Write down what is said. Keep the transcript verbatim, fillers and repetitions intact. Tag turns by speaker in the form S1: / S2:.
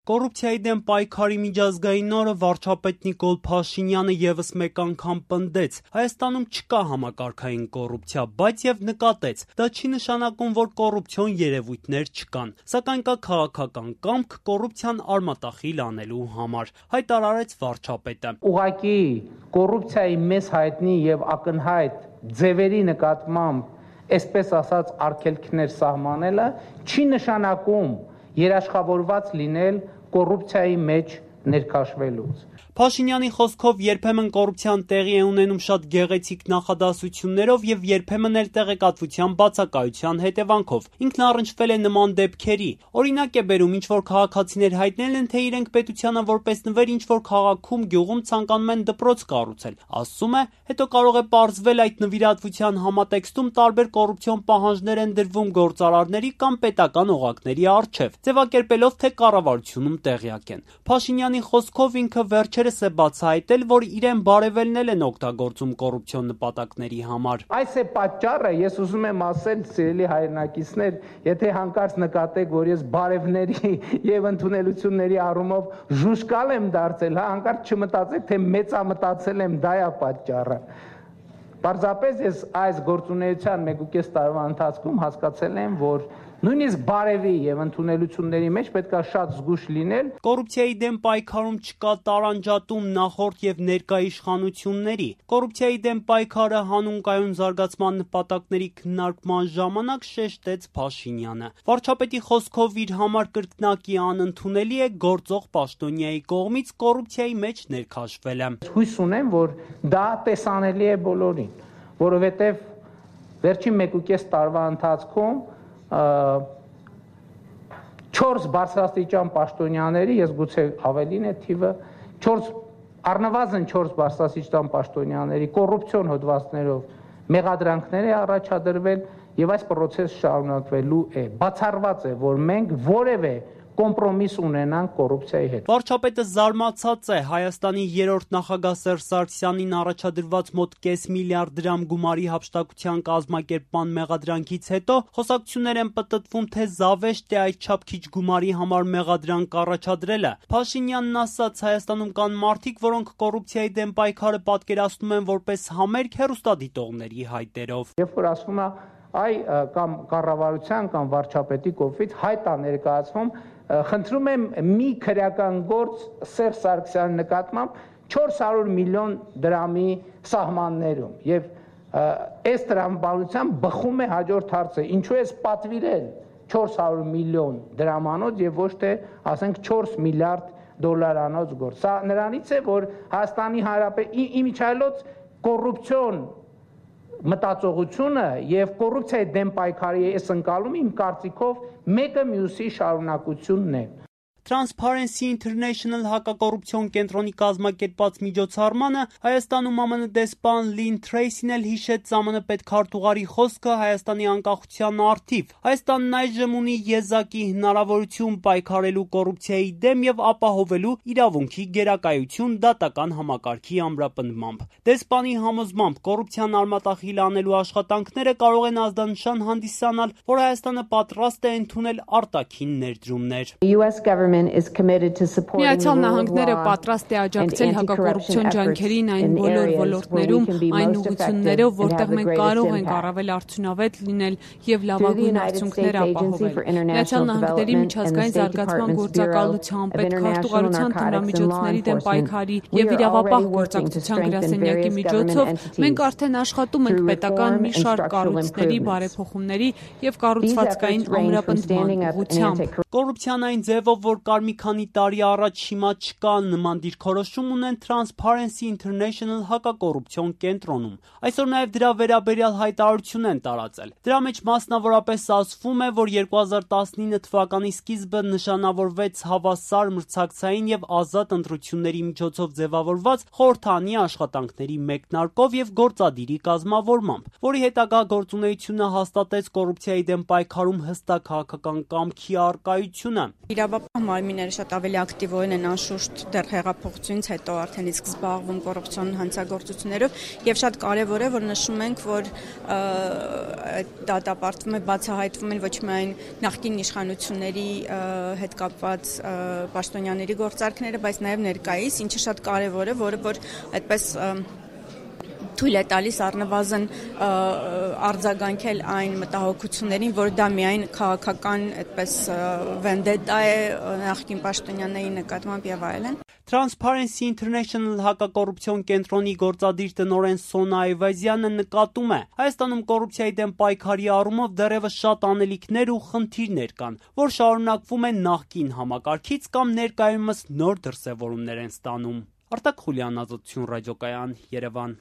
S1: Կոռուպցիայի դեմ պայքարի միջազգային օրը վարչապետ Նիկոլ Փաշինյանը ևս մեկ անգամ պնդեց. Հայաստանում չկա համակարգային կոռուպցիա, բայց եւ նկատեց. դա չի նշանակում, որ կոռուպցիոն երևույթներ չկան, սակայն կա քաղաքական կամք կոռուպցիան արմատախիլ անելու համար, հայտարարեց վարչապետը։
S2: Ուղղակի կոռուպցիայի մեծ հայտնի եւ ակնհայտ ձևերի նկատմամբ, այսպես ասած, արգելքներ սահմանելը չի նշանակում երաշխավորված լինել կոռուպցիայի մեջ ներքաշվելուց։
S1: Փաշինյանի խոսքով երբեմն կոռուպցիան տեղի է ունենում շատ գեղեցիկ նախադասություններով եւ երբեմն էլ տեղեկատվության բացակայության հետևանքով։ Ինքն առնչվել է նման դեպքերի։ Օրինակ է բերում, ինչ որ քաղաքացիներ հայտնել են, թե իրենք պետությանը որպես նվեր ինչ որ քաղաքում գյուղում ցանկանում են դպրոց կառուցել։ Ասում է, հետո կարող է պարզվել այդ նվիրատվության համատեքստում տարբեր կոռուպցիոն պահանջներ են դրվում գործարարների կամ պետական օղակների առջև, ձևակերպելով, թե կառավարությունում տեղյակ են։ Փաշինյանի խոսքով ինքը վերջերս է բացահայտել, որ իրեն բարևելնել են օգտագործում կոռուպցիոն նպատակների համար։
S2: Այս է պատճառը, ես ուզում եմ ասել, սիրելի հայրենակիցներ, եթե հանկարծ նկատեք, որ ես բարևների եւ ընդունելությունների առումով ժուշկալ եմ դարձել, հա, հանկարծ չմտածեք, թե մեծամտածել եմ, դա է պատճառը։ Պարզապես ես այս գործունեության մեկ ու կես տարվա ընթացքում հասկացել եմ, որ նույնիսկ բարևի եւ ընդունելությունների մեջ պետք է շատ զգույշ լինել։
S1: Կոռուպցիայի դեմ պայքարում չկա տարանջատում նախորդ եւ ներկա իշխանությունների։ Կոռուպցիայի դեմ պայքարը հանուն կայուն զարգացման նպատակների քննարկման ժամանակ շեշտեց Փաշինյանը։ Վարչապետի խոսքով իր համար կրկնակի անընդունելի է գործող պաշտոնյայի կողմից կոռուպցիայի մեջ ներքաշվելը։
S2: Հույս ունեմ, որ դա տեսանելի է բոլորին, որովհետեւ վերջին մեկ ու կես տարվա ընթացքում չորս բարձրաստիճան պաշտոնյաների, ես գուցե ավելին է թիվը, չորս առնվազն չորս բարձրաստիճան պաշտոնյաների կոռուպցիոն հոդվածներով մեղադրանքներ է առաջադրվել եւ այս process շարունակվելու է։ Բացառված է, որ մենք որևէ կոմպրոմիս ունենանք կոռուպցիայի հետ։
S1: Վարչապետը զարմացած է Հայաստանի երրորդ նախագահ Սերժ Սարգսյանին առաջադրված մոտ կես միլիարդ դրամ գումարի հափշտակության կազմակերպման մեղադրանքից հետո խոսակցություններ են պտտվում, թե զավեշտ է այդչափ քիչ գումարի համար մեղադրանք առաջադրելը։ Փաշինյանն ասաց, Հայաստանում կան մարդիկ, որոնք կոռուպցիայի դեմ պայքարը պատկերացնում են որպես համերգ հեռուստադիտողների հայտերով։
S2: Երբ որ ասվում է, այ կամ կառավարության կամ վարչապետի կողմից հայտ է ներկայացվում, խնդրում եմ մի քրեական գործ Սերժ Սարգսյանի նկատմամբ չորս հարյուր միլիոն դրամի սահմաններում եւ այս տրամաբանությամբ բխում է հաջորդ հարցը, ինչու է պատվիրել չորս հարյուր միլիոն դրամանոց եւ ոչ թե ասենք չորս միլիարդ դոլարանոց գործ։ Սա նրանից է, որ Հայաստանի Հանրապետության իմիջիայլոց կոռուպցիոն մտածողությունը եւ կոռուպցիայի դեմ պայքարի այս ընկալումը իմ կարծիքով մեկը մյուսի շարունակությունն է։
S1: Transparency International հակակոռուպցիոն կենտրոնի կազմակերպած միջոցառմանը Հայաստանում ԱՄՆ դեսպան Լին Թրեյսին էլ հիշեց ԶԱՄՆ պետքարտուղարի խոսքը Հայաստանի անկախության առթիվ։ Հայաստանն այժմ ունի եզակի հնարավորություն պայքարելու կոռուպցիայի դեմ եւ ապահովելու իրավունքի գերակայություն դատական համակարգի ամրապնդմամբ։ Դեսպանի համոզմամբ կոռուպցիան արմատախիլ անելու աշխատանքները կարող են ազդանշան հանդիսանալ, որ Հայաստանը պատրաստ է ընդունել արտաքին ներդրումներ։
S3: Միացյալ Նահանգները պատրաստ է աջակցել հակակոռուպցիոն ջանքերին այն բոլոր ոլորտներում, այն ուղղություններով, որտեղ մենք կարող ենք առավել արդյունավետ լինել եւ լավագույն արդյունքներ ապահովել։ Միացյալ Նահանգների միջազգային զարգացման գործակալության, պետքարտուղարության թմրամիջոցների դեմ պայքարի եւ իրավապահ գործակցության գրասենյակի միջոցով մենք արդեն աշխատում ենք պետական մի շարք կառույցների բարեփոխումների եւ կառուցվածքային ամրապնդման ուղղությամբ։
S1: Կոռուպցիան այն ձևով, որ կար մի քանի տարի առաջ, հիմա չկա, նման դիրքորոշում ունեն Transparency International հակակոռուպցիոն կենտրոնում։ Այսօր նաև դրա վերաբերյալ հայտարարություն են տարածել։ Դրա մեջ մասնավորապես ասվում է, որ երկու հազար տասնինը թվականի սկիզբը նշանավորվեց հավասար մրցակցային եւ ազատ ընտրությունների միջոցով ձևավորված խորհրդանի աշխատանքների մեկնարկով եւ գործադիրի կազմավորմամբ, որի հետագա գործունեությունը հաստատեց կոռուպցիայի դեմ պայքարում հստակ քաղաքական կամքի առկայությունը։
S4: Իրավապահ մարմինները շատ ավելի ակտիվորեն են անշուշտ դեռ հեղափոխությունից հետո արդեն իսկ զբաղվում կոռուպցիոն հանցագործություններով եւ շատ կարեւոր է որ նշում ենք որ դատապարտվում է բացահայտվում են ոչ միայն նախկին իշխանությունների հետ կապված պաշտոնյաների գործարքները, բայց նաև ներկայիս, ինչը շատ կարևոր է, որը որ այդպես թույլ է տալիս առնվազն արձագանքել այն մտահոգություններին, որ դա միայն քաղաքական այդպես վենդետա է նախկին պաշտոնյաների նկատմամբ եւ այլն։
S1: Transparency International հակակոռուպցիոն կենտրոնի գործադիր տնօրեն Սոնա Այվազյանը նկատում է, Հայաստանում կոռուպցիայի դեմ պայքարի առումով դեռևս շատ անելիքներ ու խնդիրներ կան, որ շարունակվում են նախկին համակարգից կամ ներկայումս նոր դրսևորումներ են ստանում։ Արտակ Խուլյան, Ազատություն ռադիոկայան, Երևան։